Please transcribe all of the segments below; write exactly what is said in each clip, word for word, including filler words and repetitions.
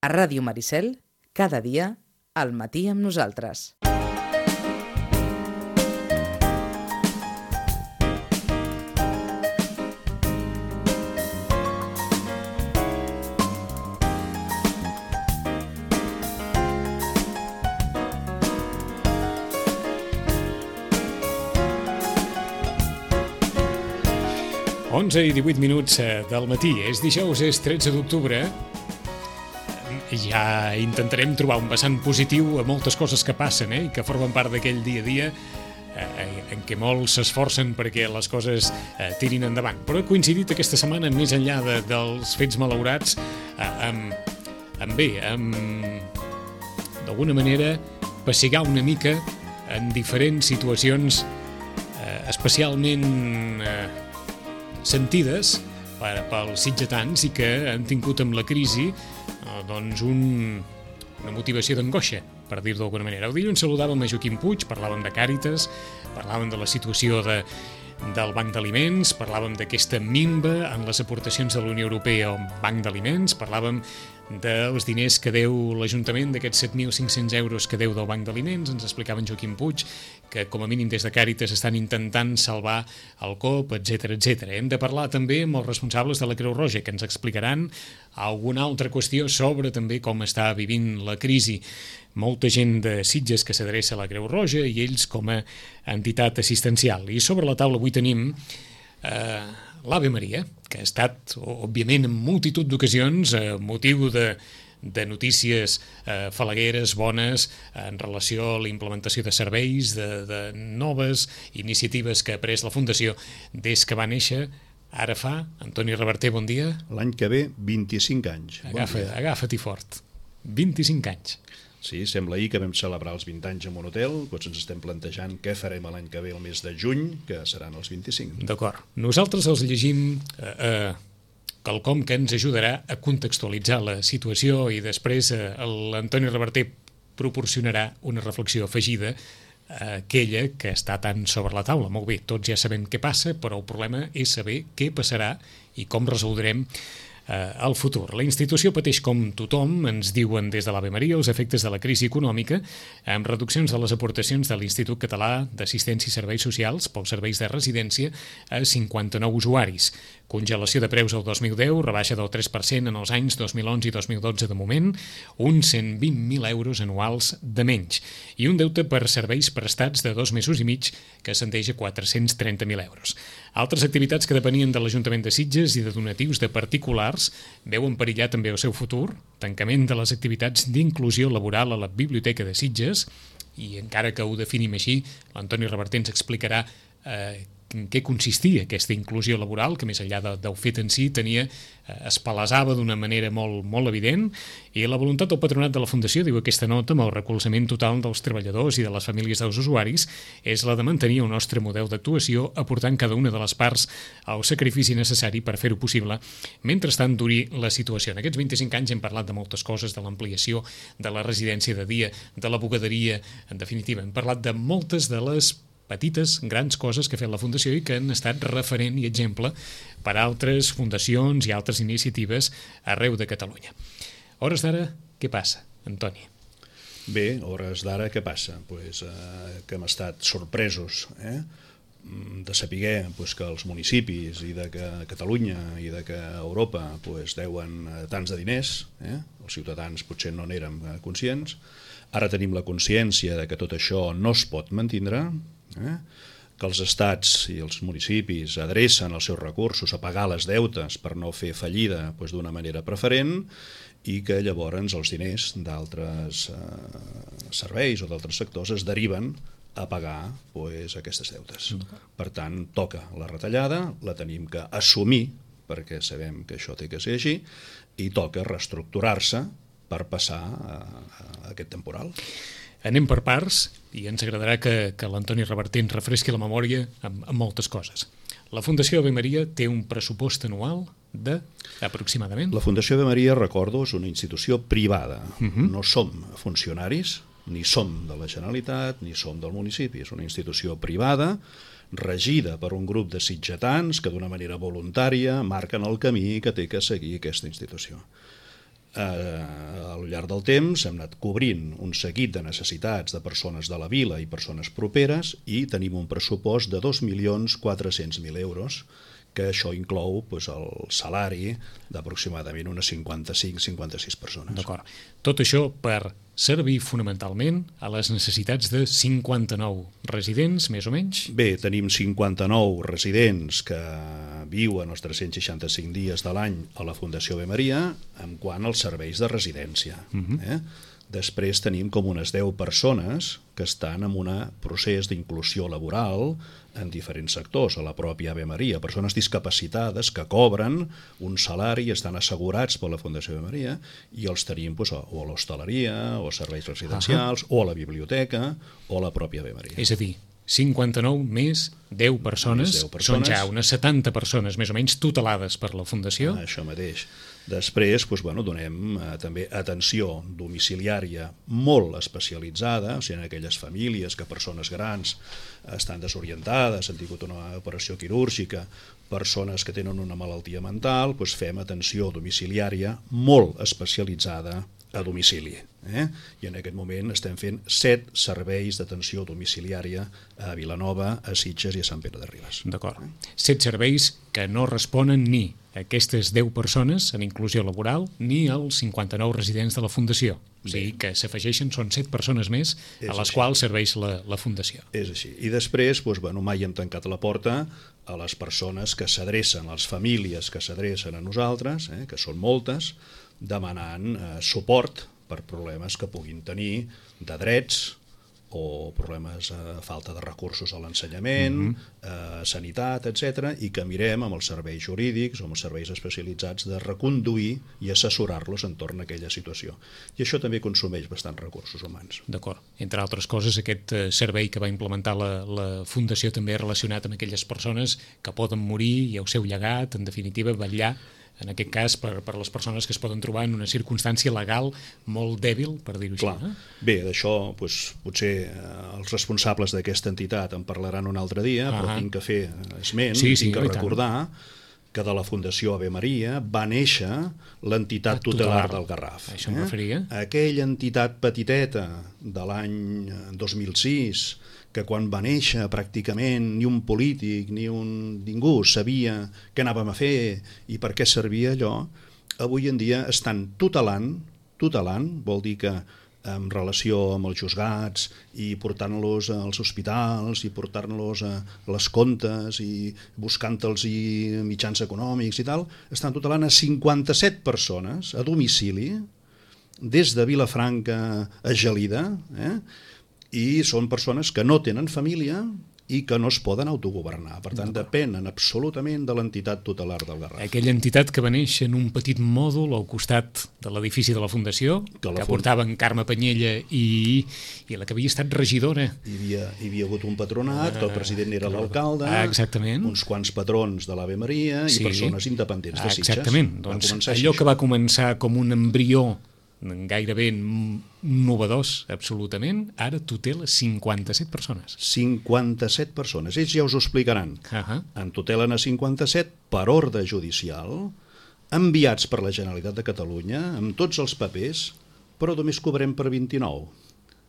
A Ràdio Maricel, cada dia, al matí amb nosaltres. onze i divuit minuts del matí. És dijous, és tretze d'octubre. Ja intentarem trobar un vessant positiu a moltes coses que passen, eh? I que formen part d'aquell dia a dia eh, en què molts s'esforcen perquè les coses eh, tirin endavant. Però he coincidit aquesta setmana, més enllà de, dels fets malaurats, eh, amb, amb bé, amb d'alguna manera pessigar una mica en diferents situacions eh, especialment eh, sentides per, pels sitgetans i que han tingut amb la crisi eh, doncs un, una motivació d'angoixa, per dir-ho d'alguna manera. El dilluns saludàvem a Joaquim Puig, parlàvem de Càritas, parlàvem de la situació de, del Banc d'Aliments, parlàvem d'aquesta minva en les aportacions de la Unió Europea al Banc d'Aliments, parlàvem dels diners que deu l'Ajuntament, d'aquests set mil cinc-cents euros que deu del Banc d'Aliments. Ens explicava en Joaquim Puig que com a mínim des de Càritas estan intentant salvar el C O P, etcètera, etcètera. Hem de parlar també amb els responsables de la Creu Roja, que ens explicaran alguna altra qüestió sobre també com està vivint la crisi. Molta gent de Sitges que s'adreça a la Creu Roja i ells com a entitat assistencial. I sobre la taula avui tenim eh, l'Ave Maria, que ha estat, òbviament, en multitud d'ocasions, eh, motiu de, de notícies eh, falagueres, bones, en relació a la implementació de serveis, de, de noves iniciatives que ha pres la Fundació des que va néixer. Ara fa, Antoni Reverter, bon dia. L'any que ve, vint-i-cinc anys. Agafa, bon agafa-t'hi fort. vint-i-cinc anys. Sí, sembla ahir que vam celebrar els vint anys en un hotel, doncs ens estem plantejant què farem l'any que ve, el mes de juny, que seran els vint-i-cinc. D'acord. Nosaltres els llegim eh, eh, quelcom que ens ajudarà a contextualitzar la situació i després eh, l'Antoni Reverter proporcionarà una reflexió afegida a aquella que està tan sobre la taula. Molt bé, tots ja sabem què passa, però el problema és saber què passarà i com resoldrem al futur. La institució pateix com tothom, ens diuen des de l'Ave Maria, els efectes de la crisi econòmica, amb reduccions de les aportacions de l'Institut Català d'Assistència i Serveis Socials pels serveis de residència a cinquanta-nou usuaris. Congelació de preus el dos mil deu, rebaixa del tres per cent en els anys dos mil onze i dos mil dotze de moment, uns cent vint mil euros anuals de menys, i un deute per serveis prestats de dos mesos i mig que ascendeix a quatre-cents trenta mil euros. Altres activitats que depenien de l'Ajuntament de Sitges i de donatius de particulars veuen perillar també el seu futur, tancament de les activitats d'inclusió laboral a la Biblioteca de Sitges, i encara que ho definim així, l'Antoni Reverter ens explicarà eh, en què consistia aquesta inclusió laboral, que més enllà de, del fet en si tenia, eh, es palesava d'una manera molt, molt evident, i la voluntat del patronat de la Fundació, diu aquesta nota, amb el recolzament total dels treballadors i de les famílies dels usuaris, és la de mantenir el nostre model d'actuació, aportant cada una de les parts el sacrifici necessari per fer-ho possible, mentrestant duri la situació. En aquests vint-i-cinc anys hem parlat de moltes coses, de l'ampliació de la residència de dia, de la bugaderia, en definitiva, hem parlat de moltes de les petites, grans coses que ha fet la Fundació i que han estat referent i exemple per a altres fundacions i altres iniciatives arreu de Catalunya. Hores d'ara, què passa, Antoni? Bé, hores d'ara, què passa? Pues, eh, que hem estat sorpresos eh? de saber pues, que els municipis i de que Catalunya i de que Europa pues, deuen tants de diners, eh? Els ciutadans potser no n'érem conscients. Ara tenim la consciència de que tot això no es pot mantindre, eh? que els estats i els municipis adrecen els seus recursos a pagar les deutes per no fer fallida pues, d'una manera preferent, i que llavors els diners d'altres eh, serveis o d'altres sectors es deriven a pagar pues, aquestes deutes. Per tant, toca la retallada, la tenim que assumir, perquè sabem que això té que ser així, i toca reestructurar-se per passar a, a aquest temporal. Anem per parts i ens agradarà que, que l'Antoni Reverter ens refresqui la memòria amb, amb moltes coses. La Fundació Ave Maria té un pressupost anual de, aproximadament? La Fundació Ave Maria, recordo, és una institució privada. Uh-huh. No som funcionaris, ni som de la Generalitat, ni som del municipi. És una institució privada, regida per un grup de sitgetans que d'una manera voluntària marquen el camí que té que seguir aquesta institució. Eh, al llarg del temps hem anat cobrint un seguit de necessitats de persones de la vila i persones properes i tenim un pressupost de dos milions quatre-cents mil euros, que això inclou doncs, el salari d'aproximadament unes cinquanta-cinc a cinquanta-sis persones. D'acord. Tot això per servir fonamentalment a les necessitats de cinquanta-nou residents, més o menys? Bé, tenim cinquanta-nou residents que viuen els tres-cents seixanta-cinc dies de l'any a la Fundació Ave Maria en quant als serveis de residència. Uh-huh. eh? Després tenim com unes deu persones que estan en un procés d'inclusió laboral en diferents sectors, a la pròpia Ave Maria, persones discapacitades que cobren un salari i estan assegurats per la Fundació Ave Maria i els tenim doncs, o a l'hostaleria, o a serveis residencials, uh-huh. o a la biblioteca, o a la pròpia Ave Maria. És a dir, cinquanta-nou més deu persones, més deu persones. Són ja unes setanta persones més o menys tutelades per la Fundació. Ah, això mateix. Després doncs, bueno, donem eh, també atenció domiciliària molt especialitzada, o sigui, en aquelles famílies que persones grans estan desorientades, han tingut una operació quirúrgica, persones que tenen una malaltia mental, doncs fem atenció domiciliària molt especialitzada a domicili. Eh? I en aquest moment estem fent set serveis d'atenció domiciliària a Vilanova, a Sitges i a Sant Pere de Ribes. D'acord. Set serveis que no responen ni a aquestes deu persones en inclusió laboral ni als cinquanta-nou residents de la Fundació. O sigui que s'afegeixen, són set persones més a les quals serveix la, la Fundació. És així. I després, doncs, bueno, mai hem tancat la porta a les persones que s'adrecen, a les famílies que s'adrecen a nosaltres, eh, que són moltes, demanant eh, suport per problemes que puguin tenir de drets o problemes de eh, falta de recursos a l'ensenyament, uh-huh. eh, sanitat, etcètera, i que mirem amb els serveis jurídics o amb els serveis especialitzats de reconduir i assessorar-los entorn a aquella situació. I això també consumeix bastants recursos humans. D'acord. Entre altres coses, aquest eh, servei que va implementar la, la Fundació també relacionat amb aquelles persones que poden morir i el seu llegat, en definitiva, vetllar en aquest cas per, per les persones que es poden trobar en una circumstància legal molt dèbil, per dir-ho així. Eh? Bé, d'això doncs, potser eh, els responsables d'aquesta entitat en parlaran un altre dia, uh-huh. però tinc que fer esment, sí, sí, tinc que recordar que de la Fundació Ave Maria va néixer l'entitat tutelar del Garraf. Això em referia. Aquella entitat petiteta de l'any dos mil sis, que quan va néixer pràcticament ni un polític ni un ningú sabia què anàvem a fer i per què servia allò, avui en dia estan tutelant, tutelant vol dir que en relació amb els juzgats i portant-los als hospitals i portant-los a les comptes i buscant-los mitjans econòmics i tal, estan tutelant a cinquanta-set persones a domicili des de Vilafranca a Gelida, eh? I són persones que no tenen família i que no es poden autogovernar. Per tant, depenen absolutament de l'entitat tutelar del Garraf. Aquella entitat que va néixer en un petit mòdul al costat de l'edifici de la Fundació, que, la que fund... portaven Carme Panyella i, i la que havia estat regidora. Hi havia, hi havia hagut un patronat, que el president era l'alcalde, ah, exactament. uns quants patrons de l'Ave Maria i sí. persones independents de Sitges. Exactament. Doncs allò que va començar com un embrió gairebé innovadors, absolutament, ara tutela cinquanta-set persones. cinquanta-set persones. Ells ja us ho explicaran. Uh-huh. En tutelen a cinquanta-set per ordre judicial, enviats per la Generalitat de Catalunya, amb tots els papers, però només cobrem per vint-i-nou.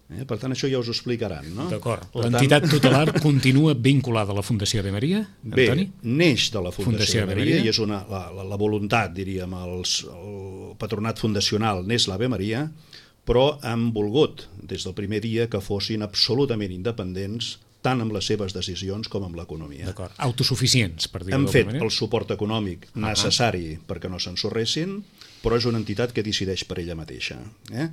Eh? Per tant, això ja us ho explicaran, no? D'acord. L'entitat tant... tutelar continua vinculada a la Fundació Ave Maria, Antoni? Bé, neix de la Fundació, Fundació Ave Maria, Maria i és una, la, la, la voluntat, diríem, els, el patronat fundacional n'és l'Ave Maria, però han volgut, des del primer dia, que fossin absolutament independents, tant amb les seves decisions com amb l'economia. D'acord. Autosuficients, per dir-ho d'alguna manera. Hem fet el suport econòmic uh-huh. necessari perquè no s'ensorressin, però és una entitat que decideix per ella mateixa. Eh?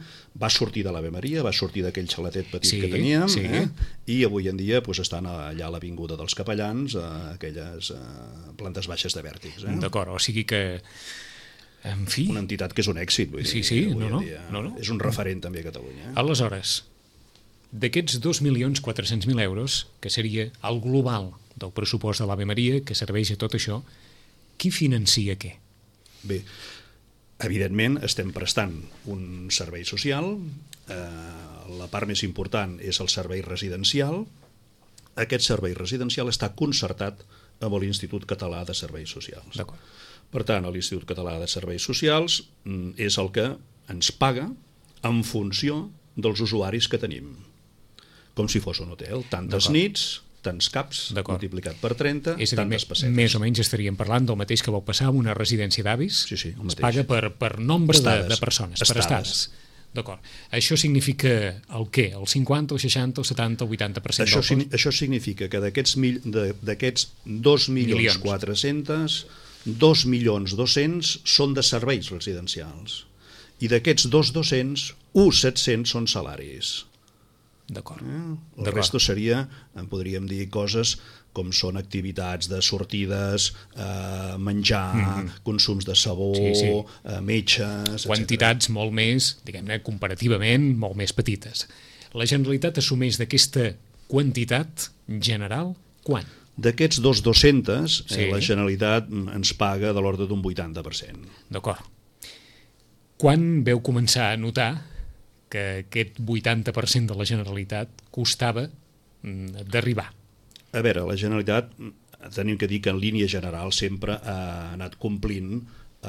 Va sortir de l'Ave Maria, va sortir d'aquell xalatet petit sí, que teníem, sí. eh? i avui en dia pues, estan allà a l'Avinguda dels Capellans, a aquelles a plantes baixes de Vèrtix. Eh? D'acord, o sigui que... En fi... Una entitat que és un èxit, vull dir. Sí, sí, no, no, dia. no, no. És un referent també a Catalunya. Eh? Aleshores, d'aquests dos milions quatre-cents mil euros, que seria el global del pressupost de l'Ave Maria, que serveix a tot això, qui financia què? Bé, evidentment estem prestant un servei social, eh, la part més important és el servei residencial. Aquest servei residencial està concertat amb l'Institut Català de Serveis Socials. D'acord. Per tant, l'Institut Català de Serveis Socials és el que ens paga en funció dels usuaris que tenim. Com si fos un hotel. Tantes nits, tants caps, multiplicat per trenta, és a dir, tantes pessetes. Més o menys estaríem parlant del mateix que vau passar amb una residència d'avis. Sí, sí, el es mateix. paga per, per nombre Estades, de, de persones, estades. per estades. D'acord. Això significa el què? El cinquanta, el seixanta, el setanta, el vuitanta per cent això, del cost? Això significa que d'aquests d'aquests dos milions quatre-cents, dos milions dos-cents són de serveis residencials. I d'aquests dos dos-cents, un set-cents són salaris. D'acord. Eh? El resto seria, podríem dir, coses com són activitats de sortides, eh, menjar, mm-hmm. consums de sabó, sí, sí. Eh, metges... Quantitats etcètera. Molt més, diguem-ne, comparativament, molt més petites. La Generalitat assumeix d'aquesta quantitat general quan? D'aquests dos dos-cents, sí. eh, la Generalitat ens paga de l'ordre d'un vuitanta per cent. D'acord. Quan veu començar a notar que aquest vuitanta per cent de la Generalitat costava d'arribar? A veure, la Generalitat, tenim que dir que en línia general sempre ha anat complint eh,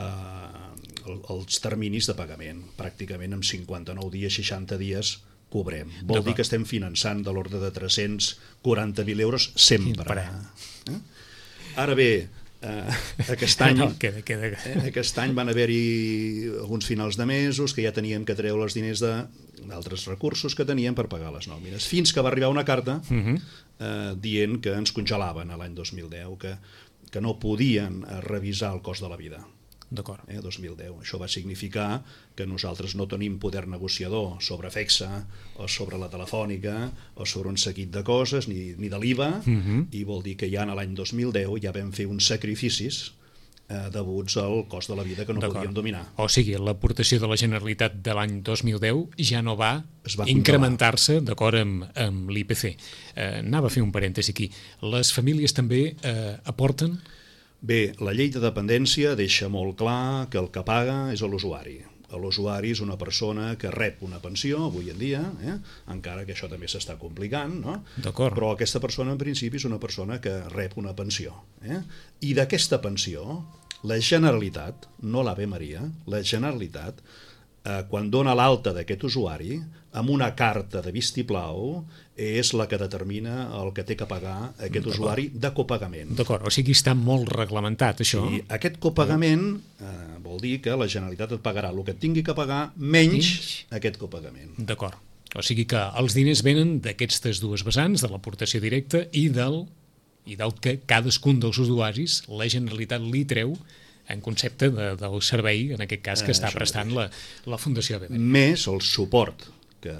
els terminis de pagament. Pràcticament en cinquanta-nou dies, seixanta dies cobrem. Vol dir que estem finançant de l'ordre de tres-cents quaranta mil euros sempre. Eh? Ara bé, eh, aquest any no, queda, queda. Eh, aquest any van haver-hi alguns finals de mesos que ja teníem que treure els diners d'altres recursos que teníem per pagar les nòmines. Fins que va arribar una carta uh-huh. eh, dient que ens congelaven l'any dos mil deu, que, que no podien revisar el cost de la vida. D'acord. Eh, dos mil deu. Això va significar que nosaltres no tenim poder negociador sobre Fexa o sobre la Telefònica o sobre un seguit de coses, ni, ni de l'I V A, uh-huh. i vol dir que ja en l'any dos mil deu ja vam fer uns sacrificis eh, deguts al cost de la vida que no podíem dominar. O sigui, l'aportació de la Generalitat de l'any dos mil deu ja no va, va incrementar-se d'acord amb, amb l'I P C. Eh, anava a fer un parèntesi aquí. Les famílies també eh, aporten? Bé, la llei de dependència deixa molt clar que el que paga és l'usuari. L'usuari és una persona que rep una pensió avui en dia, eh? encara que això també s'està complicant, no? Però aquesta persona en principi és una persona que rep una pensió. Eh? I d'aquesta pensió, la Generalitat, no l'Ave Maria, la Generalitat, eh, quan dona l'alta d'aquest usuari, amb una carta de vistiplau, és la que determina el que té que pagar aquest usuari de copagament. D'acord, o sigui, està molt reglamentat, això. Sí, aquest copagament eh, vol dir que la Generalitat et pagarà el que et tingui que pagar menys, menys. aquest copagament. D'acord, o sigui que els diners venen d'aquestes dues vessants, de l'aportació directa i del, i del que cadascun dels usuaris la Generalitat li treu en concepte de, del servei, en aquest cas, que eh, està prestant la, la Fundació Ave Maria. Més el suport que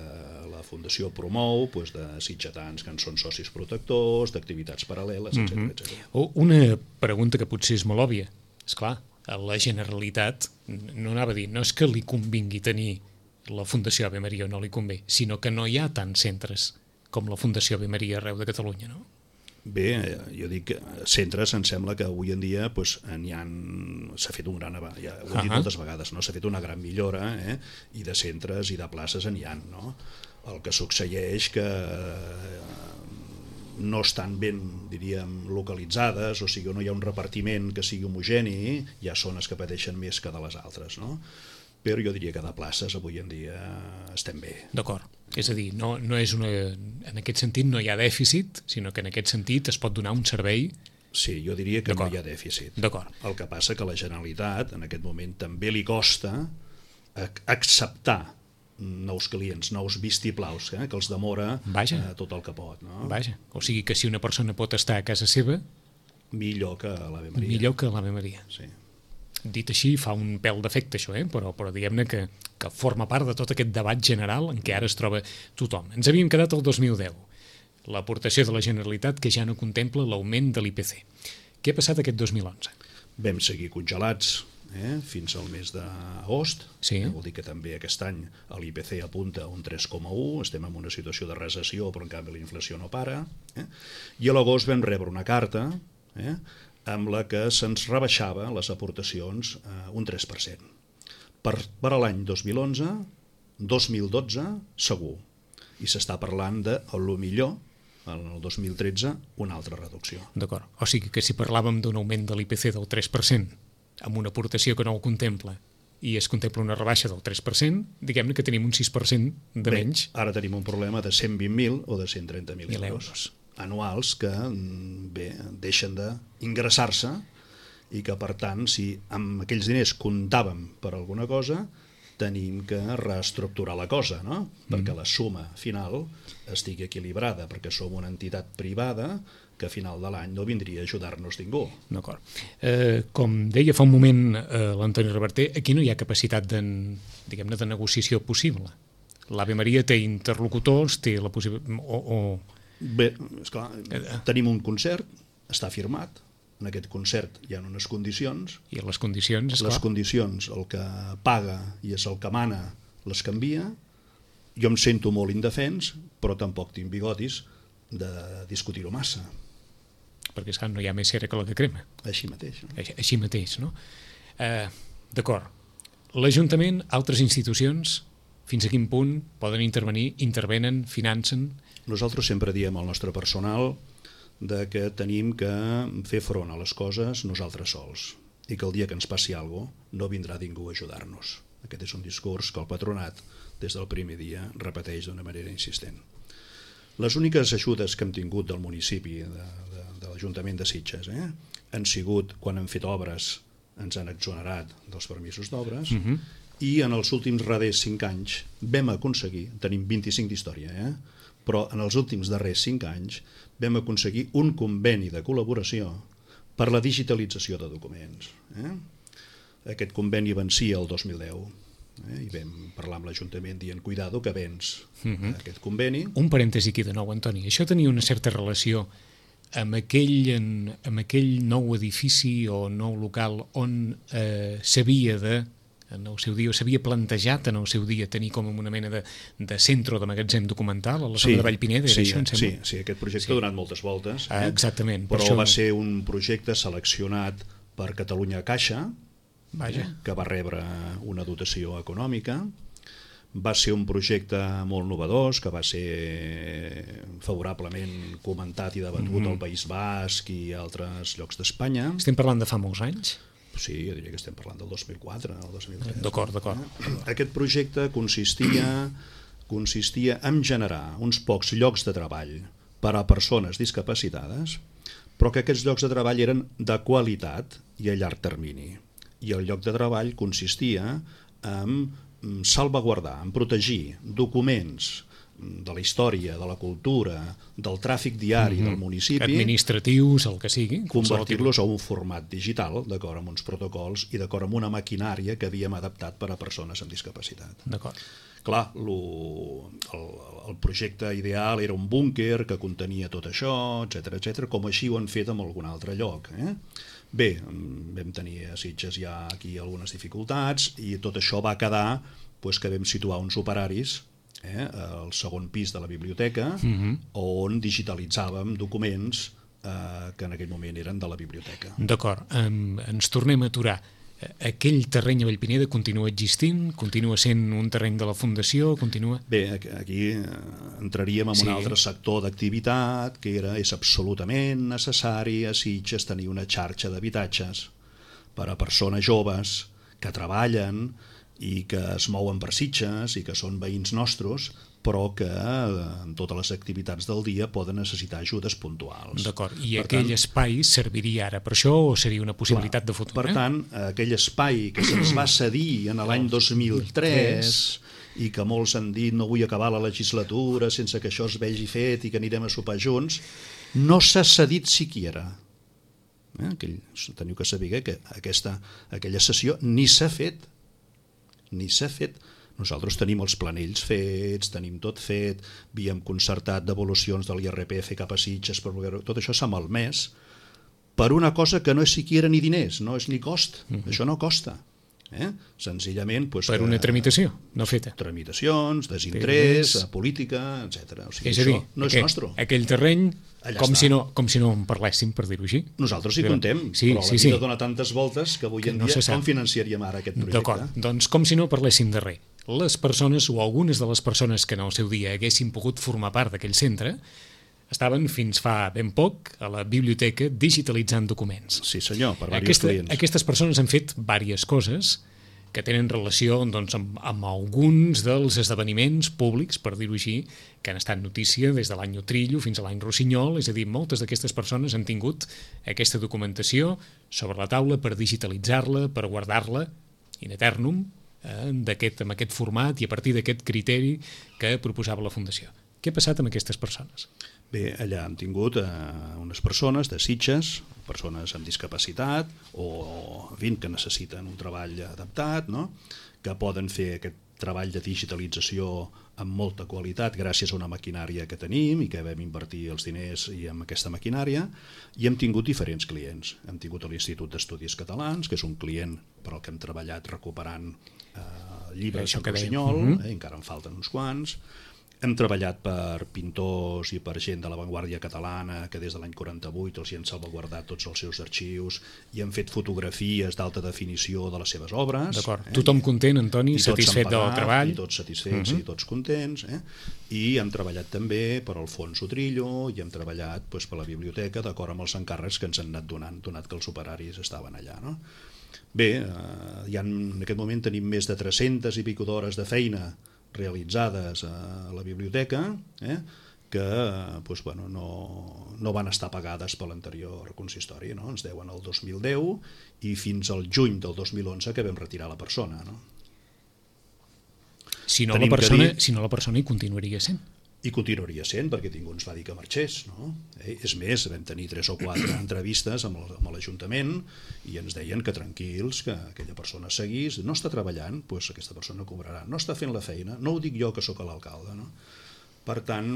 la Fundació promou, doncs, de sitgetans que en són socis protectors, d'activitats paral·leles, etcètera, mm-hmm. etcètera. Una pregunta que potser és molt òbvia. Esclar, a la Generalitat no anava a dir, no és que li convingui tenir la Fundació Ave Maria o no li convé, sinó que no hi ha tants centres com la Fundació Ave Maria arreu de Catalunya, no? Bé, jo dic que centres em sembla que avui en dia pues, n'hi ha, s'ha fet un gran ja ho he dit uh-huh. moltes vegades, no? S'ha fet una gran millora, eh? I de centres i de places n'hi ha, no? El que succeeix que no estan ben, diríem, localitzades, o sigui, no hi ha un repartiment que sigui homogeni, hi ha zones que pateixen més que de les altres, no? Però jo diria que de places avui en dia estem bé. D'acord. És a dir, no, no és una, en aquest sentit no hi ha dèficit, sinó que en aquest sentit es pot donar un servei. Sí, jo diria que no hi ha dèficit. D'acord. El que passa que la Generalitat en aquest moment també li costa acceptar nous clients, nous vistiplaus, eh, que els demora eh, tot el que pot. No? Vaja, o sigui que si una persona pot estar a casa seva... Millor que a l'Ave Maria. Millor que a l'Ave Maria. Sí. Dit així, fa un pèl d'efecte això, eh? però, però diguem-ne que, que forma part de tot aquest debat general en què ara es troba tothom. Ens havíem quedat el dos mil deu, l'aportació de la Generalitat que ja no contempla l'augment de l'I P C. Què ha passat aquest dos mil onze? Vam seguir congelats eh? fins al mes d'agost, sí. eh? Vol dir que també aquest any l'I P C apunta un tres coma u, estem en una situació de recessió, però en canvi la inflació no para, eh? I a l'agost vam rebre una carta eh? amb la que se'ns rebaixava les aportacions eh, un tres per cent. Per, per a l'any dos mil onze, dos mil dotze, segur. I s'està parlant de, a lo millor, en el dos mil tretze, una altra reducció. D'acord. O sigui que si parlàvem d'un augment de l'I P C del tres per cent, amb una aportació que no ho contempla, i es contempla una rebaixa del tres per cent, diguem-ne que tenim un sis per cent de Bé, menys. Ara tenim un problema de cent vint mil o de cent trenta mil Mil euros. euros. Anuals que bé, deixen d'ingressar-se i que, per tant, si amb aquells diners comptàvem per alguna cosa, tenim que reestructurar la cosa, no? Mm. Perquè la suma final estigui equilibrada, perquè som una entitat privada que a final de l'any no vindria a ajudar-nos ningú. D'acord. Eh, com deia fa un moment eh, l'Antoni Reverter, aquí no hi ha capacitat de, diguem-ne, de negociació possible. L'Ave Maria té interlocutors, té la possibilitat... O, o... Bé, esclar, tenim un concert, està firmat, en aquest concert hi ha unes condicions. I les condicions, esclar. Les condicions, el que paga i és el que mana, les canvia. Jo em sento molt indefens, però tampoc tinc bigotis de discutir-ho massa. Perquè, esclar, no hi ha més cera que la que crema. Així mateix. No? Així, així mateix, no? Eh, D'acord. L'Ajuntament, altres institucions, fins a quin punt poden intervenir, intervenen, financen? Nosaltres sempre diem al nostre personal de que tenim que fer front a les coses nosaltres sols i que el dia que ens passi alguna cosa no vindrà ningú a ajudar-nos. Aquest és un discurs que el patronat des del primer dia repeteix d'una manera insistent. Les úniques ajudes que hem tingut del municipi, de, de, de l'Ajuntament de Sitges, eh, han sigut quan hem fet obres, ens han exonerat dels permisos d'obres, uh-huh. i en els últims darrers cinc anys vam aconseguir, tenim vint-i-cinc d'història, eh, però en els últims darrers cinc anys vam aconseguir un conveni de col·laboració per la digitalització de documents. Eh? Aquest conveni vencia el dos mil deu. Eh, i vam parlar amb l'Ajuntament dient cuidado que vens uh-huh. aquest conveni. Un parèntesi aquí de nou, Antoni. Això tenia una certa relació amb aquell, en, amb aquell nou edifici o nou local on eh, s'havia de, en el seu dia, s'havia plantejat en el seu dia tenir com una mena de, de centre de magatzem documental a la zona sí, de Vallpineda, era sí, això, em sembla? Sí, sí, aquest projecte sí. ha donat moltes voltes. Eh? Ah, exactament. Però això... va ser un projecte seleccionat per Catalunya Caixa, Vaja. que va rebre una dotació econòmica. Va ser un projecte molt novedós, que va ser favorablement comentat i debatut mm-hmm. al País Basc i altres llocs d'Espanya. Estem parlant de fa molts anys? Sí, jo diria que estem parlant del dos mil quatre, el dos mil tres. D'acord, d'acord. Aquest projecte consistia, consistia en generar uns pocs llocs de treball per a persones discapacitades, però que aquests llocs de treball eren de qualitat i a llarg termini. I el lloc de treball consistia en salvaguardar, en protegir documents de la història, de la cultura, del tràfic diari mm-hmm. del municipi, administratius, el que sigui, convertir-los a un format digital, d'acord amb uns protocols i d'acord amb una maquinària que havíem adaptat per a persones amb discapacitat. D'acord. Clar, lo, el, el projecte ideal era un búnquer que contenia tot això, etcètera, etcètera, com així ho han fet en algun altre lloc. Eh? Bé, vam tenir a Sitges ja aquí algunes dificultats i tot això va quedar pues, que vam situar uns operaris eh, al segon pis de la biblioteca uh-huh. on digitalitzàvem documents eh, que en aquell moment eren de la biblioteca. D'acord, um, ens tornem a aturar. Aquell terreny a Vallpineda continua existint? Continua sent un terreny de la Fundació? Continua... Bé, aquí entraríem en sí. un altre sector d'activitat que era, és absolutament necessari a Sitges tenir una xarxa d'habitatges per a persones joves que treballen i que es mouen per Sitges i que són veïns nostres, però que en totes les activitats del dia poden necessitar ajudes puntuals. D'acord, i per aquell tant, espai serviria ara per això o seria una possibilitat clar, de futur? Per eh? tant, aquell espai que se'ns va cedir en l'any dos mil tres i que molts han dit no vull acabar la legislatura sense que això es vegi fet i que anirem a sopar junts, no s'ha cedit siquiera. Eh? Aquell, teniu que saber que aquesta, aquella sessió ni s'ha fet, ni s'ha fet. Nosaltres tenim els planells fets, tenim tot fet, havíem concertat devolucions de l'I R P F cap a Sitges, però tot això s'ha malmès per una cosa que no és siquiera ni diners, no és ni cost, mm-hmm. això no costa. Eh? Senzillament... Pues, per una tramitació no feta. Tramitacions, desinterès, política, etcètera. O sigui, és a dir, no és aquell, nostre. Aquell terreny, com si, no, com si no en parléssim, per dir-ho així. Nosaltres hi contem, sí, però la sí, vida sí. dona tantes voltes que avui en no dia com financiaríem ara aquest projecte? D'acord, doncs com si no parléssim de res. Les persones o algunes de les persones que en el seu dia haguessin pogut formar part d'aquell centre estaven fins fa ben poc a la biblioteca digitalitzant documents. Sí senyor, per diversos Aquesta, clients. Aquestes persones han fet diverses coses que tenen relació doncs, amb, amb alguns dels esdeveniments públics, per dir-ho així, que han estat notícia des de l'any Utrillo fins a l'any Rossinyol, és a dir, moltes d'aquestes persones han tingut aquesta documentació sobre la taula per digitalitzar-la, per guardar-la in eternum, eh, d'aquest, amb aquest format i a partir d'aquest criteri que proposava la Fundació. Què ha passat amb aquestes persones? Bé, allà hem tingut eh, unes persones de Sitges, persones amb discapacitat o, en fi, que necessiten un treball adaptat, no? Que poden fer aquest treball de digitalització amb molta qualitat gràcies a una maquinària que tenim i que vam invertir els diners i amb aquesta maquinària, i hem tingut diferents clients. Hem tingut l'Institut d'Estudis Catalans, que és un client per al que hem treballat recuperant eh, llibres de Rossinyol, uh -huh. eh, encara en falten uns quants. Hem treballat per pintors i per gent de l'avantguàrdia catalana que des de l'any quaranta-vuit els hi han salvaguardat tots els seus arxius i han fet fotografies d'alta definició de les seves obres. D'acord. Eh? Tothom content, Antoni, satisfet pagat, del treball? I tots satisfets uh -huh. i tots contents. Eh? I hem treballat també per al Fons Utrillo i hem treballat doncs, per la biblioteca d'acord amb els encàrrecs que ens han anat donant, donat que els operaris estaven allà. No? Bé, eh, ja en aquest moment tenim més de tres-centes i pico d'hores de feina realitzades a la biblioteca, eh, que doncs, bueno, no, no van estar pagades per l'anterior consistori, no? Ens deuen el dos mil deu i fins al juny del dos mil onze que vam retirar la persona. No? Si no, la persona, dir... si no la persona hi continuaria sent. I continuaria sent, perquè ningú ens va dir que marxés. No? Eh? És més, vam tenir tres o quatre entrevistes amb l'Ajuntament i ens deien que tranquils, que aquella persona seguís, no està treballant, doncs aquesta persona cobrarà, no està fent la feina, no ho dic jo que sóc l'alcalde. No? Per tant,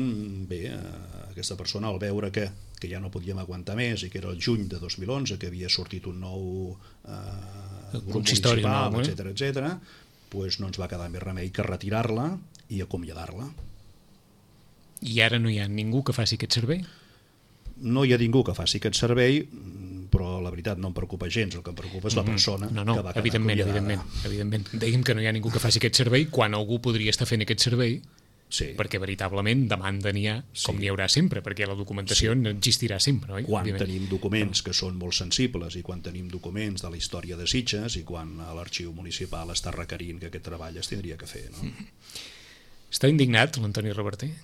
bé, eh, aquesta persona al veure que, que ja no podíem aguantar més i que era el juny de dos mil onze, que havia sortit un nou eh, grup municipal, no, etcètera, etcètera, doncs no ens va quedar més remei que retirar-la i acomiadar-la. I ara no hi ha ningú que faci aquest servei? No hi ha ningú que faci aquest servei, però la veritat no em preocupa gens, el que em preocupa és la persona no, no, que va quedar evidentment, evidentment, evidentment. Dèiem que no hi ha ningú que faci aquest servei quan algú podria estar fent aquest servei, sí. Perquè veritablement demanda n'hi ha, com sí. N'hi haurà sempre, perquè la documentació sí. Existirà sempre. Oi? Quan Òbviament. Tenim documents que són molt sensibles i quan tenim documents de la història de Sitges i quan l'arxiu municipal està requerint que aquest treball es tindria que fer. No? Mm. Està indignat l'Antoni Reverter?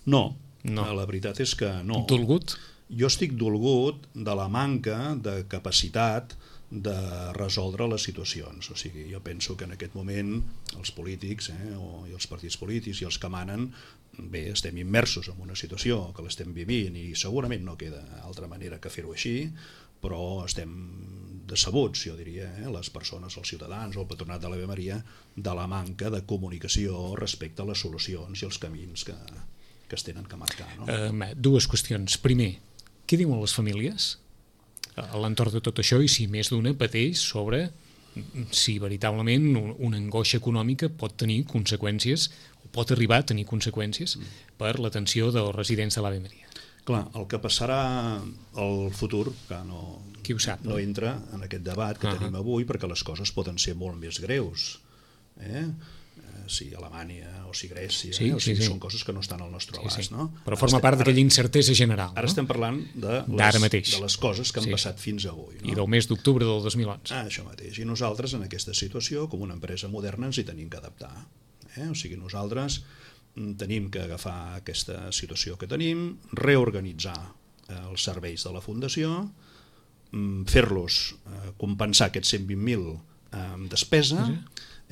No, no, la veritat és que no. Dolgut? Jo estic dolgut de la manca de capacitat de resoldre les situacions. O sigui, jo penso que en aquest moment els polítics eh, o, i els partits polítics i els que manen, bé, estem immersos en una situació que l'estem vivint i segurament no queda altra manera que fer-ho així, però estem decebuts, jo diria, eh, les persones, els ciutadans o el Patronat de l'Ave Maria, de la manca de comunicació respecte a les solucions i els camins que... que es tenen que marcar. No? Uh, dues qüestions. Primer, què diuen les famílies a l'entorn de tot això i si més d'una pateix sobre si veritablement una angoixa econòmica pot tenir conseqüències o pot arribar a tenir conseqüències mm. per l'atenció dels residents de l'Ave Maria? Clar, el que passarà al futur, que no, Qui ho sap, no? no entra en aquest debat que uh -huh. tenim avui, perquè les coses poden ser molt més greus. Eh? Si Alemanya o si Grècia, sí, eh? o sigui, sí, sí. són coses que no estan al nostre abast. Sí, sí. No? Però forma part d'aquella incertesa general. Ara no? estem parlant de les, de les coses que han sí. passat fins avui. No? I del mes d'octubre del dos mil onze. Ah, això mateix. I nosaltres en aquesta situació, com una empresa moderna, ens hi tenim que adaptar. Eh? O sigui, nosaltres tenim que agafar aquesta situació que tenim, reorganitzar els serveis de la Fundació, fer-los compensar aquests cent vint mil amb despesa, sí.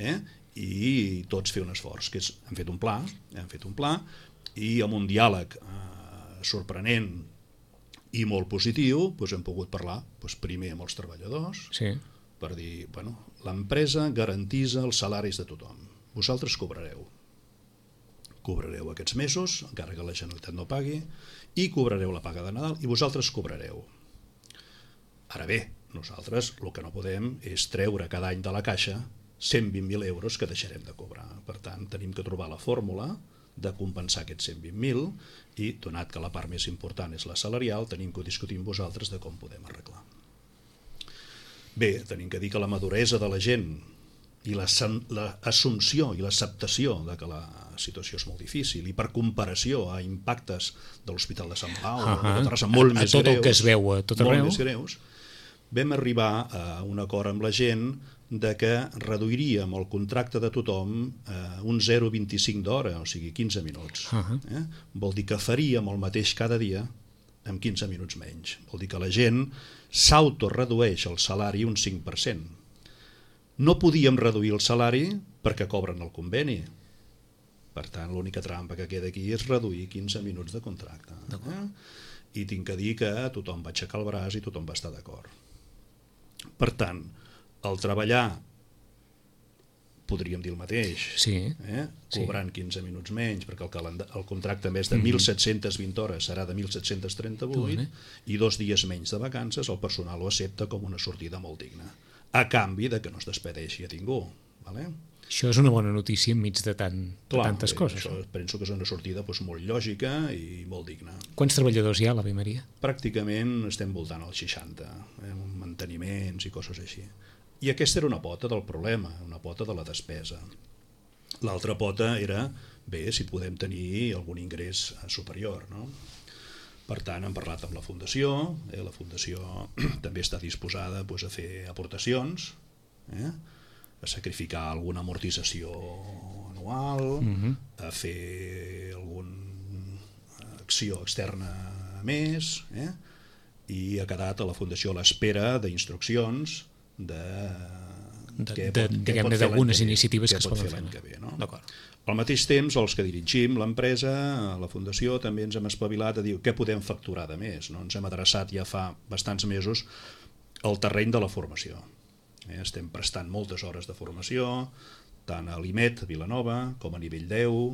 eh? i tots fer un esforç, que és, hem fet un pla, hem fet un pla i amb un diàleg eh, sorprenent i molt positiu doncs hem pogut parlar doncs, primer amb els treballadors sí. per dir, bueno, l'empresa garantisa els salaris de tothom, vosaltres cobrareu cobrareu aquests mesos, encara que la Generalitat no pagui, i cobrareu la paga de Nadal i vosaltres cobrareu. Ara bé, nosaltres el que no podem és treure cada any de la caixa cent vint mil euros que deixarem de cobrar. Per tant, tenim que trobar la fórmula de compensar aquests cent vint mil i, donat que la part més important és la salarial, tenim que discutir amb vosaltres de com podem arreglar. Bé, tenim que dir que la maduresa de la gent i l'assumpció i l'acceptació de que la situació és molt difícil i per comparació a impactes de l'Hospital de Sant Pau, uh -huh. de Terrassa, molt a, més a tot greus, el que es veu a tot arreu, molt més greus, vam arribar a un acord amb la gent de que reduiríem el contracte de tothom a un zero coma vint-i-cinc d'hora, o sigui, quinze minuts. Uh-huh. eh? Vol dir que faríem el mateix cada dia amb quinze minuts menys. Vol dir que la gent s'autoredueix el salari un cinc per cent. No podíem reduir el salari perquè cobren el conveni. Per tant, l'única trampa que queda aquí és reduir quinze minuts de contracte. Eh? I tinc que dir que tothom va aixecar el braç i tothom va estar d'acord. Per tant, el treballar, podríem dir el mateix, sí, eh? cobrant sí. quinze minuts menys, perquè el, calendar, el contracte en vez de mil set-cents vint hores serà de mil set-cents trenta-vuit, mm. i dos dies menys de vacances, el personal ho accepta com una sortida molt digna, a canvi de que no es despedeixi a ningú. Vale? Això és una bona notícia enmig de, tant, de Clar, tantes bé, coses. Això penso que és una sortida doncs, molt lògica i molt digna. Quants treballadors hi ha a l'Ave Maria? Pràcticament estem voltant als seixanta, eh, manteniments i coses així. I aquesta era una pota del problema, una pota de la despesa. L'altra pota era, bé, si podem tenir algun ingrés superior, no? Per tant, hem parlat amb la Fundació, eh, la Fundació també està disposada doncs, a fer aportacions, eh? a sacrificar alguna amortització anual, uh-huh. a fer alguna acció externa més, eh? i ha quedat a la Fundació a l'espera d'instruccions de, de, de, diguem-ne d'algunes iniciatives que es poden fer l'any que ve. No? Al mateix temps, els que dirigim l'empresa, la Fundació, també ens hem espavilat a dir què podem facturar de més. No? Ens hem adreçat ja fa bastants mesos al terreny de la formació. Eh? Estem prestant moltes hores de formació, tant a l'I M E T, a Vilanova, com a nivell deu,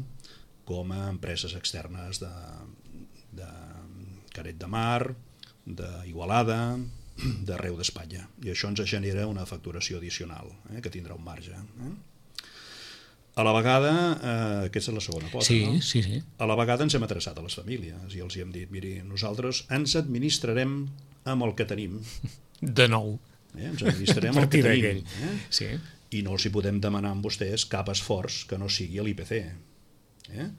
com a empreses externes de, de Canet de Mar, d'Igualada, d'arreu d'Espanya. I això ens genera una facturació addicional, eh, que tindrà un marge. Eh? A la vegada, eh, aquesta és la segona pota, sí, no? Sí, sí. A la vegada ens hem adreçat a les famílies i els hi hem dit, miri, nosaltres ens administrarem amb el que tenim. De nou. Eh? Ens administrarem el que tenim. Eh? Sí. I no els hi podem demanar amb vostès cap esforç que no sigui a l'I P C. Eh?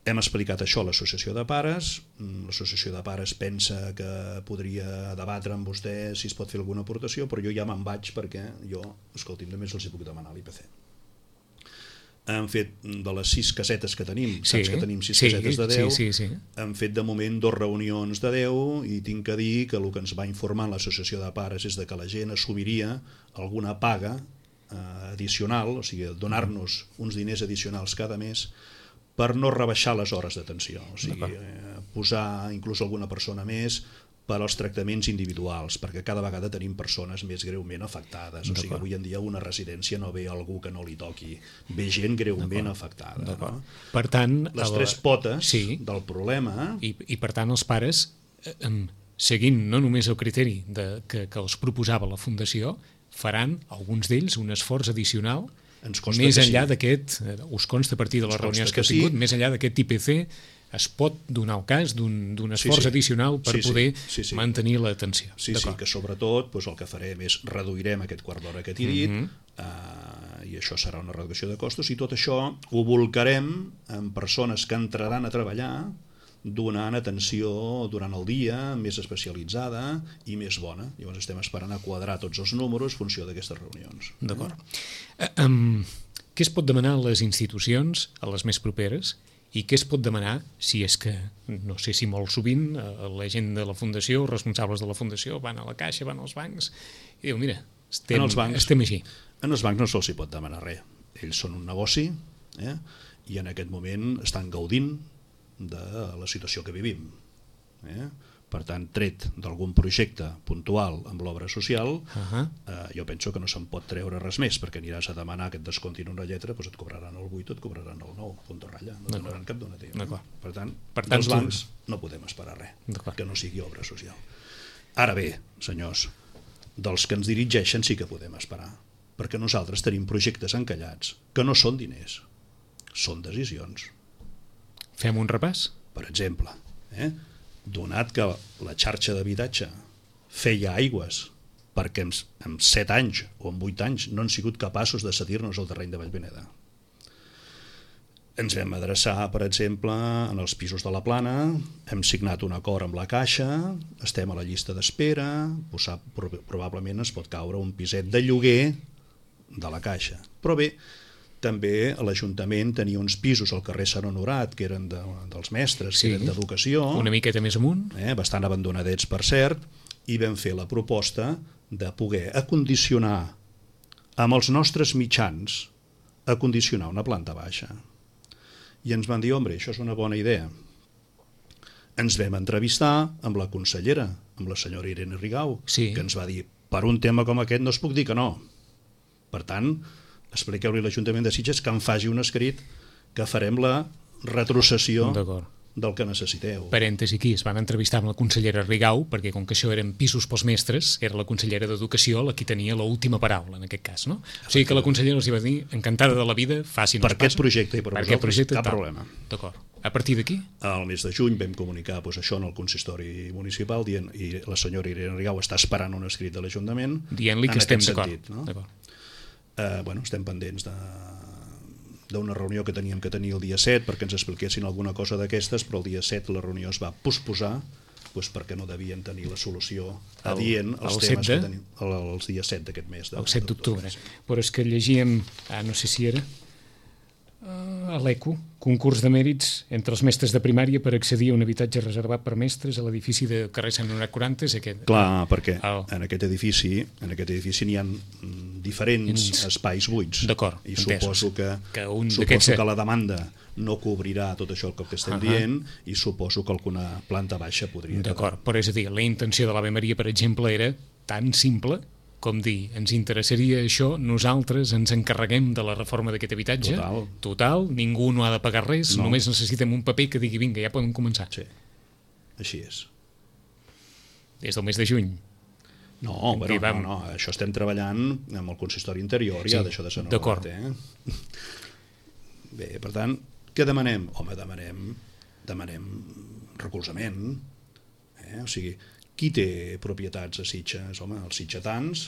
Hem explicat això a l'Associació de Pares, l'Associació de Pares pensa que podria debatre amb vostè si es pot fer alguna aportació, però jo ja me'n vaig perquè jo, escolti'm, només els hi puc demanar a l'I P C. Hem fet de les sis casetes que tenim, sí, saps que tenim sis sí, casetes de deu, sí, sí, sí. hem fet de moment dos reunions de deu i tinc que dir que el que ens va informar l'Associació de Pares és de que la gent assumiria alguna paga eh, addicional, o sigui, donar-nos uns diners addicionals cada mes per no rebaixar les hores d'atenció, o sigui, eh, posar inclús alguna persona més per als tractaments individuals, perquè cada vegada tenim persones més greument afectades, o sigui, avui en dia una residència no ve algú que no li toqui, ve gent greument afectada. No? Per tant, les tres potes sí. del problema... I, I per tant els pares, eh, seguint no només el criteri de, que, que els proposava la Fundació, faran, alguns d'ells, un esforç addicional més enllà sí. d'aquest, us consta a partir de les reunions que, que heu tingut, sí. més enllà d'aquest I P C, es pot donar el cas d'un esforç sí, sí. addicional per sí, sí. poder sí, sí. mantenir l'atenció. Sí, sí, que sobretot doncs, el que farem és reduirem aquest quart d'hora que t'he dit, mm-hmm. uh, i això serà una reducció de costos, i tot això ho volcarem en persones que entraran a treballar donant atenció durant el dia més especialitzada i més bona. Llavors estem esperant a quadrar tots els números en funció d'aquestes reunions. D'acord. Eh? Um, què es pot demanar a les institucions, a les més properes, i què es pot demanar si és que, no sé si molt sovint, la gent de la Fundació, els responsables de la Fundació, van a la caixa, van als bancs, i diu, mira, estem, bancs, estem així. En els bancs no se'ls pot demanar res. Ells són un negoci, eh? i en aquest moment estan gaudint de la situació que vivim. Eh? Per tant, tret d'algun projecte puntual amb l'obra social, uh-huh. eh, jo penso que no se'n pot treure res més, perquè aniràs a demanar que et descontin una lletra, doncs et cobraran el vuit o et cobraran el nou, punt de ratlla, no donaran cap donatiu. No? Per tant, per tant dels bancs no podem esperar res que no sigui obra social. Ara bé, senyors, dels que ens dirigeixen sí que podem esperar, perquè nosaltres tenim projectes encallats que no són diners, són decisions. Fem un repàs? Per exemple, eh? donat que la xarxa d'habitatge feia aigües perquè en, en set anys o en vuit anys no han sigut capaços de cedir-nos el terreny de Vallbeneda. ens vam adreçar, per exemple, en els pisos de la Plana, hem signat un acord amb la Caixa, estem a la llista d'espera, probablement ens pot caure un piset de lloguer de la Caixa. Però bé, també l'Ajuntament tenia uns pisos al carrer Sant Honorat, que eren de, dels mestres, sí, que eren d'educació, una miqueta més amunt, eh, bastant abandonadets, per cert, i vam fer la proposta de poder acondicionar amb els nostres mitjans, acondicionar una planta baixa. I ens van dir, home, això és una bona idea. Ens vam entrevistar amb la consellera, amb la senyora Irene Rigau, sí, que ens va dir, per un tema com aquest no es puc dir que no. Per tant, expliqueu-li a l'Ajuntament de Sitges que em faci un escrit que farem la retrocessió del que necessiteu. Parèntesi aquí, es van entrevistar amb la consellera Rigau, perquè com que això eren pisos pels mestres, era la consellera d'Educació la qui tenia l'última paraula, en aquest cas, no? O sigui que la consellera els va dir, encantada de la vida, facin per aquest projecte i per, per vosaltres, projecte, cap tal. Problema. D'acord. A partir d'aquí? Al mes de juny vam comunicar doncs, això en el consistori municipal, dient, i la senyora Irene Rigau està esperant un escrit de l'Ajuntament dient-li que estem d'acord. No? Uh, bueno, estem pendents de d'una reunió que teníem que tenir el dia set perquè ens expliquessin alguna cosa d'aquestes, però el dia set la reunió es va posposar doncs perquè no devien tenir la solució adient als el temes de? que tenim el, els dies set d'aquest mes. De, el set d'octubre. Però és que llegíem, ah, no sé si era, a l'ECO, concurs de mèrits entre els mestres de primària per accedir a un habitatge reservat per mestres a l'edifici de carrer Sant Honorat quaranta. Aquest, clar, perquè el... en aquest edifici en aquest edifici n'hi ha diferents Ins... espais buits. D'acord, i suposo que, que, un suposo que la demanda no cobrirà tot això que estem uh -huh. dient, i suposo que alguna planta baixa podria quedar. D'acord, però és a dir, la intenció de l'Ave Maria, per exemple, era tan simple com dir, ens interessaria això, nosaltres ens encarreguem de la reforma d'aquest habitatge, total, total ningú no ha de pagar res, no. Només necessitem un paper que digui, vinga, ja podem començar. Sí, així és. Des del mes de juny. No, bueno, vam... no, no, això estem treballant amb el consistori interior, sí, ja d'això de Sant Honorat. Eh? Bé, per tant, què demanem? Home, demanem, demanem recolzament. Eh? O sigui, qui té propietats a Sitges? Home, els sitgetans,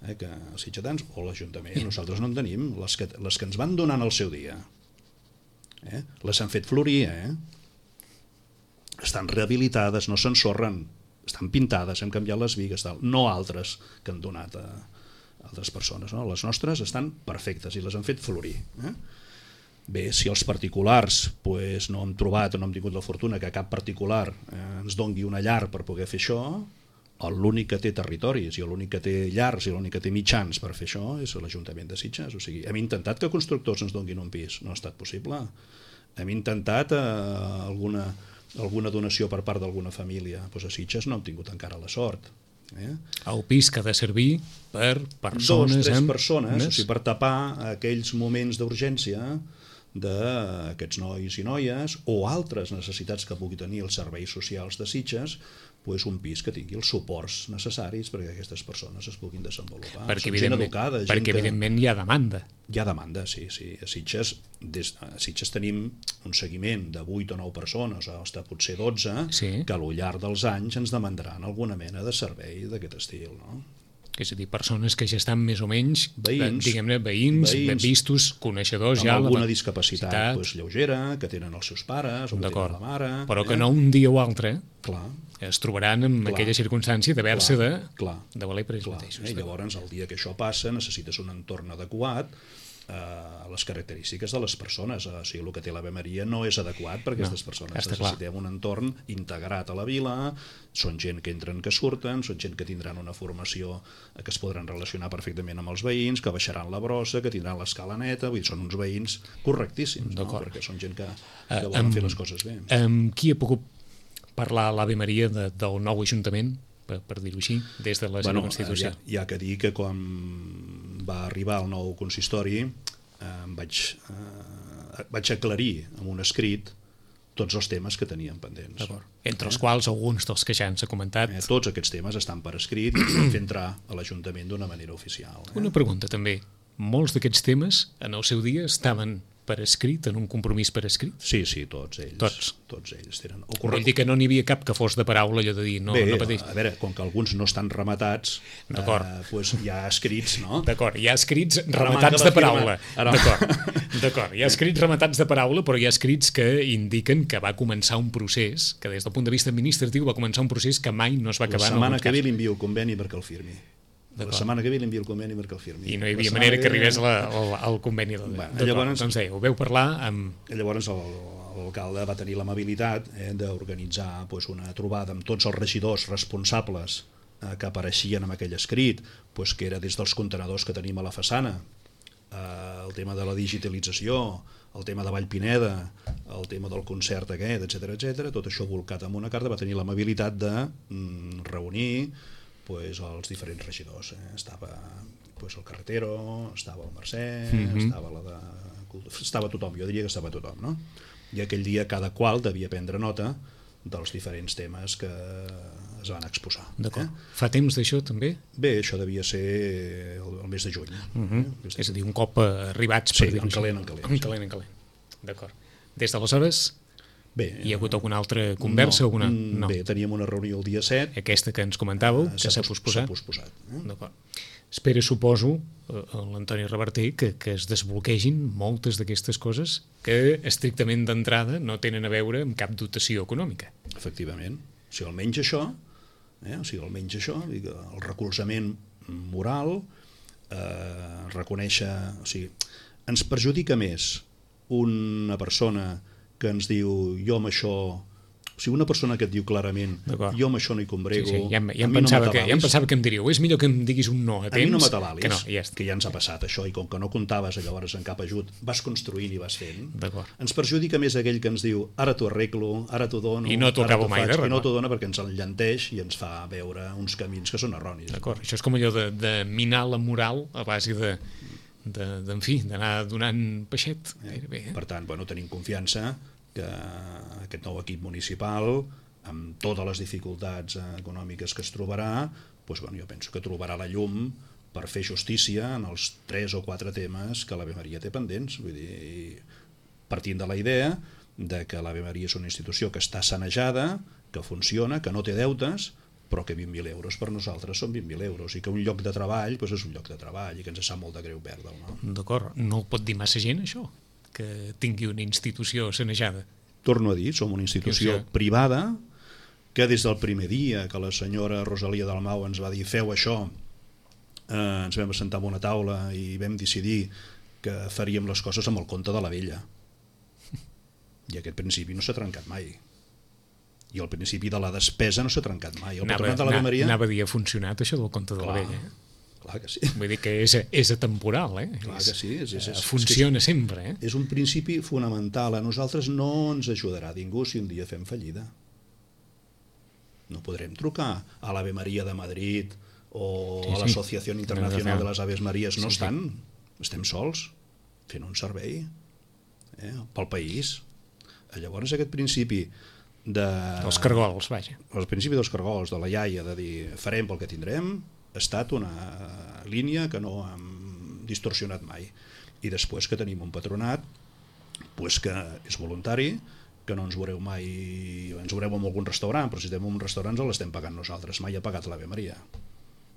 eh, que, els sitgetans o l'Ajuntament. Nosaltres no en tenim. Les que, les que ens van donar en el seu dia, eh? les han fet florir, eh? Estan rehabilitades, no s'ensorren, estan pintades, hem canviat les bigues, tal. No altres que han donat a altres persones. No? Les nostres estan perfectes i les han fet florir. Eh? Bé, si els particulars pues, no hem trobat o no hem tingut la fortuna que cap particular eh, ens dongui una llar per poder fer això, l'únic que té territoris i l'únic que té llars i l'únic que té mitjans per fer això és l'Ajuntament de Sitges. O sigui, hem intentat que constructors ens donguin un pis, no ha estat possible. Hem intentat eh, alguna, alguna donació per part d'alguna família, pues a Sitges no hem tingut encara la sort. Eh? El pis que ha de servir per persones... Dos, tres amb... persones, o sigui, per tapar aquells moments d'urgència d'aquests nois i noies o altres necessitats que pugui tenir els serveis socials de Sitges, pues un pis que tingui els suports necessaris perquè aquestes persones es puguin desenvolupar. Perquè, Són gent educada. Gent perquè que... evidentment hi ha demanda. Hi ha demanda, sí. sí. A Sitges, des... a Sitges tenim un seguiment de vuit o nou persones, o hasta potser dotze, sí, que al llarg dels anys ens demandaran alguna mena de servei d'aquest estil, no? És a dir, persones que ja estan més o menys, veïns, diguem-ne, veïns, veïns, vistos, coneixedors amb ja... Amb alguna la... discapacitat pues, lleugera, que tenen els seus pares, o que tenen la mare... Però eh? que no un dia o altre clar, es trobaran en clar, aquella circumstància d'haver-se de, clar, de valer per ells clar, mateixos. Eh? Llavors, el dia que això passa, necessites un entorn adequat a les característiques de les persones. O sigui, el que té l'Ave Maria no és adequat per a aquestes no, persones. Necessitem clar. un entorn integrat a la vila, són gent que entren, que surten, són gent que tindran una formació que es podran relacionar perfectament amb els veïns, que baixaran la brossa, que tindran l'escala neta, vull dir, són uns veïns correctíssims, no? Perquè són gent que, que volen uh, fer les coses bé. Amb qui ha pogut parlar l'Ave Maria de, del nou Ajuntament, per, per dir-ho així, des de la seva bueno, Constitució? Hi ha, hi ha que dir que quan va arribar el nou consistori eh, em vaig, eh, vaig aclarir amb un escrit tots els temes que teníem pendents. Entre els eh? quals alguns dels que ja ens ha comentat. Eh, tots aquests temes estan per escrit i vam fer entrar a l'Ajuntament d'una manera oficial. Eh? Una pregunta també. Molts d'aquests temes en el seu dia estaven per escrit, en un compromís per escrit? Sí, sí, tots ells. Tots. Tots ells tenen. O Vull dir que no n'hi havia cap que fos de paraula, allò de dir, no, Bé, no pateix. a veure, com que alguns no estan rematats, eh, pues hi ha escrits, no? D'acord, hi ha escrits Ara rematats manca de la paraula. firma. Ara- D'acord, d'acord. Hi ha escrits rematats de paraula, però hi ha escrits que indiquen que va començar un procés, que des del punt de vista administratiu va començar un procés que mai no es va La acabar en setmana alguns que ve casos. li envio el conveni perquè el firmi. La D'acord. setmana que ve li envio el conveni perquè el firmi. I no hi La havia setmana manera que ve- arribés la, el, el conveni. Del... Bueno, D'acord, llavors- doncs deia, ho veu parlar amb... Llavors el- l'alcalde va tenir l'amabilitat eh, d'organitzar pues, una trobada amb tots els regidors responsables eh, que apareixien en aquell escrit, pues, que era des dels contenedors que tenim a la façana, eh, el tema de la digitalització, el tema de Vallpineda, el tema del concert aquest, etcètera, etcètera, tot això volcat en una carta, va tenir l'amabilitat de mm, reunir pues, els diferents regidors. Eh? Estava pues, el Carretero, estava el Mercè, Mhm. estava la de... estava tothom, jo diria que estava tothom, no? I aquell dia cada qual devia prendre nota dels diferents temes que es van exposar. D'acord. Eh? Fa temps d'això, també? Bé, això devia ser el, el mes de juny. Uh -huh. eh? És a dir, un cop arribats... Sí, per dir-ho en així. calent, en calent, En sí. calent, en calent. D'acord. Des d'aleshores, Bé, hi ha hagut alguna altra conversa? no, alguna... mm, No. Bé, teníem una reunió el dia set. Aquesta que ens comentàveu, eh, que s'ha pos- posposat. S'ha posposat. Eh? D'acord. Espera, suposo, eh, l'Antoni Reverter, que, que es desbloquegin moltes d'aquestes coses que estrictament d'entrada no tenen a veure amb cap dotació econòmica. Efectivament. O sigui, almenys això, eh? o sigui, almenys això, vull dir que el recolzament moral, eh, reconèixer... O sigui, ens perjudica més una persona que ens diu jo amb això... O sigui, una persona que et diu clarament D'acord. jo amb això no hi Sí, combrego, sí, ja, em- ja, a em mi no pensava que, ja em m'atabalis, pensava que em diríeu, és millor que em diguis un no a a temps mi no m'atabalis, que no, i ja està. que ja ens ha passat això, i com que no comptaves llavors en cap ajut, vas construint i vas fent. D'acord. Ens perjudica més aquell que ens diu ara t'ho arreglo, ara t'ho dono, I no t'ho ara acabo mai faig, d'arreglar. i no t'ho dona perquè ens enllanteix i ens fa veure uns camins que són erronis. D'acord, això és com allò de, de minar la moral a base de, de, de en fi, d'anar donant peixet. Gairebé, eh? Per tant, bueno, tenim confiança que aquest nou equip municipal, amb totes les dificultats econòmiques que es trobarà, doncs, bueno, jo penso que trobarà la llum per fer justícia en els tres o quatre temes que l'Ave Maria té pendents. Vull dir, partint de la idea de que l'Ave Maria és una institució que està sanejada, que funciona, que no té deutes, però que vint mil euros per nosaltres són vint mil euros, i que un lloc de treball doncs és un lloc de treball i que ens sap molt de greu perdre'l. No? D'acord, no el pot dir massa gent, això, que tingui una institució sanejada. Torno a dir, som una institució Sí, sí. privada que des del primer dia que la senyora Rosalia Dalmau ens va dir feu això, eh, ens vam assentar en una taula i vam decidir que faríem les coses amb el compte de la vella. I aquest principi no s'ha trencat mai. I el principi de la despesa no s'ha trencat mai. El Anava, patronat de l'Ave Maria... anava a dir, ha funcionat això del compte de la Clar, vella. Eh? clar que sí. Vull dir que és, és atemporal, eh? Clar És- que sí. És, és, eh, és, funciona sempre, eh? és un principi fonamental. A nosaltres no ens ajudarà ningú si un dia fem fallida. No podrem trucar a l'Ave Maria de Madrid o Sí, a sí. l'Associació Internacional de les Aves Maries. No Sí, sí. estan. Estem sols fent un servei eh, pel país. Llavors aquest principi de... Els cargols, vaja. el principi dels cargols, de la iaia, de dir farem pel que tindrem, ha estat una línia que no hem distorsionat mai. I després que tenim un patronat pues que és voluntari, que no ens veureu mai, ens veureu en algun restaurant, però si estem en un restaurant els l'estem pagant nosaltres, mai ha pagat l'Ave Maria.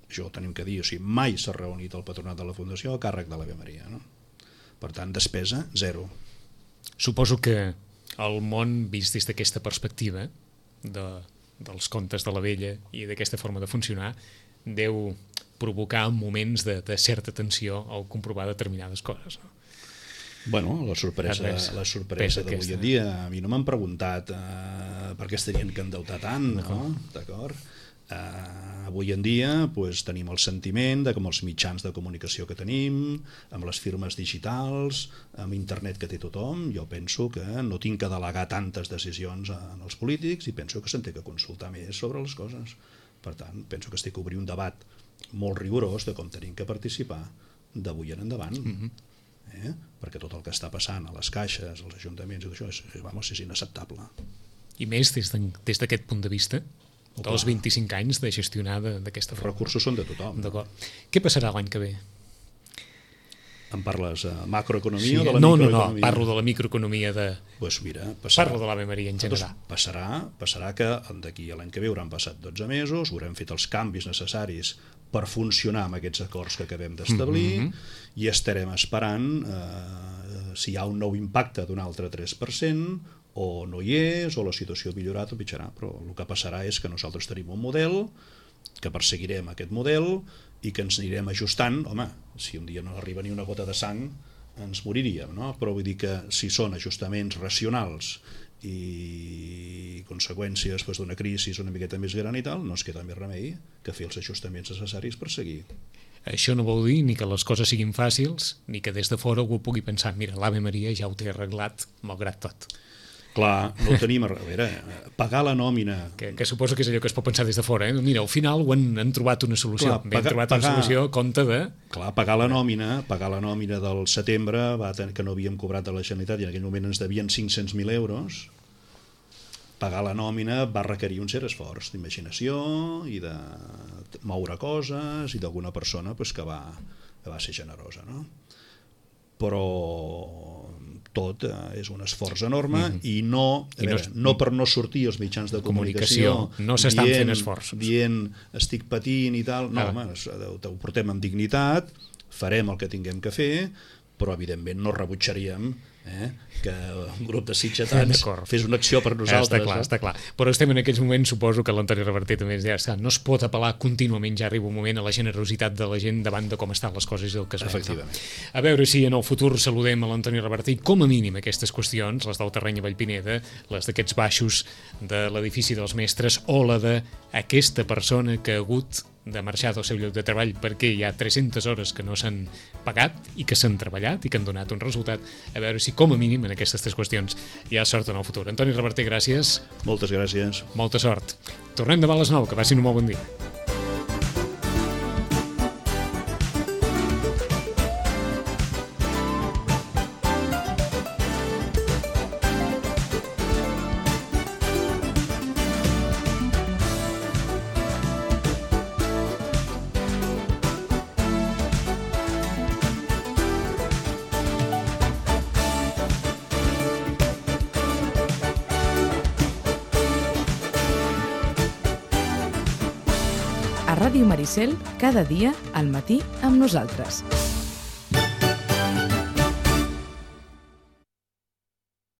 Això ho tenim que dir, o sigui, mai s'ha reunit el patronat de la Fundació a càrrec de l'Ave Maria. No? Per tant, despesa, zero. Suposo que el món, vist des d'aquesta perspectiva de, dels contes de la vella i d'aquesta forma de funcionar, deu provocar moments de, de certa tensió al comprovar determinades coses. No? Bueno, la sorpresa, Res, la sorpresa pesa d'avui aquesta. en dia, a mi no m'han preguntat eh, per què es tenien que endeutar tant, no? D'acord? Eh, avui en dia pues, tenim el sentiment de que amb els mitjans de comunicació que tenim, amb les firmes digitals, amb internet que té tothom, jo penso que no tinc que delegar tantes decisions en els polítics i penso que se'n té que consultar més sobre les coses. Per tant, penso que estic a obrir un debat molt rigorós de com tenim que participar d'avui en endavant. Mm-hmm. eh? Perquè tot el que està passant a les caixes, als ajuntaments i tot això és, vamos, és inacceptable. I més des de- des d'aquest punt de vista, dels vint-i-cinc anys de gestionar de- d'aquesta Els forma. recursos són de tothom. D'acord. Què passarà l'any que ve? Em parles de macroeconomia sí, o de la no, microeconomia? No, no, parlo de la microeconomia de... Pues mira, passarà, parlo de l'Ave Maria en general. Doncs passarà, passarà que d'aquí a l'any que ve hauran passat dotze mesos, haurem fet els canvis necessaris per funcionar amb aquests acords que acabem d'establir mm-hmm. i estarem esperant eh, si hi ha un nou impacte d'un altre tres per cent o no hi és, o la situació ha millorat o pitjarà, però el que passarà és que nosaltres tenim un model, que perseguirem aquest model i que ens anirem ajustant. Home, si un dia no arriba ni una gota de sang ens moriríem, no? Però vull dir que si són ajustaments racionals i conseqüències doncs, d'una crisi una miqueta més gran i tal, no ens queda més remei que fer els ajustaments necessaris per seguir. Això no vol dir ni que les coses siguin fàcils, ni que des de fora algú pugui pensar mira, l'Ave Maria ja ho té arreglat, malgrat tot. Clar, no ho tenim a veure, pagar la nòmina... Que, que suposo que és allò que es pot pensar des de fora, eh? Mira, al final ho han, han trobat una solució. Clar, pagar, han trobat pagar, una solució a compte de... Clar, pagar la nòmina, pagar la nòmina del setembre, va tenir, que no havíem cobrat a la Generalitat i en aquell moment ens devien cinc-cents mil euros, pagar la nòmina va requerir un cert esforç d'imaginació i de moure coses i d'alguna persona pues, que, va, que va ser generosa, no? Però tot eh, és un esforç enorme mm-hmm. i, no, a I veure, no, no per no sortir als mitjans de comunicació, comunicació no s'estan fent esforços. Dient estic patint i tal, no, ah. home, ho portem amb dignitat, farem el que tinguem que fer, però evidentment no rebutjaríem eh, que un grup de sitgetans fes una acció per nosaltres. Està clar, eh? està clar. Però estem en aquests moments, suposo que l'Antoni Reverter també ja està, no es pot apel·lar contínuament, ja arriba un moment, a la generositat de la gent davant de com estan les coses i el que es veu. A veure si en el futur saludem a l'Antoni Reverter i com a mínim aquestes qüestions, les del terreny a Vallpineda, les d'aquests baixos de l'edifici dels mestres o la d'aquesta persona que ha hagut de marxar del seu lloc de treball perquè hi ha tres-centes hores que no s'han pagat i que s'han treballat i que han donat un resultat, a veure si com a mínim en aquestes tres qüestions hi ha sort en el futur. Antoni Reverter, gràcies. Moltes gràcies. Molta sort. Tornem demà a les nou, que passin un molt bon dia. A Ràdio Maricel, cada dia al matí amb nosaltres.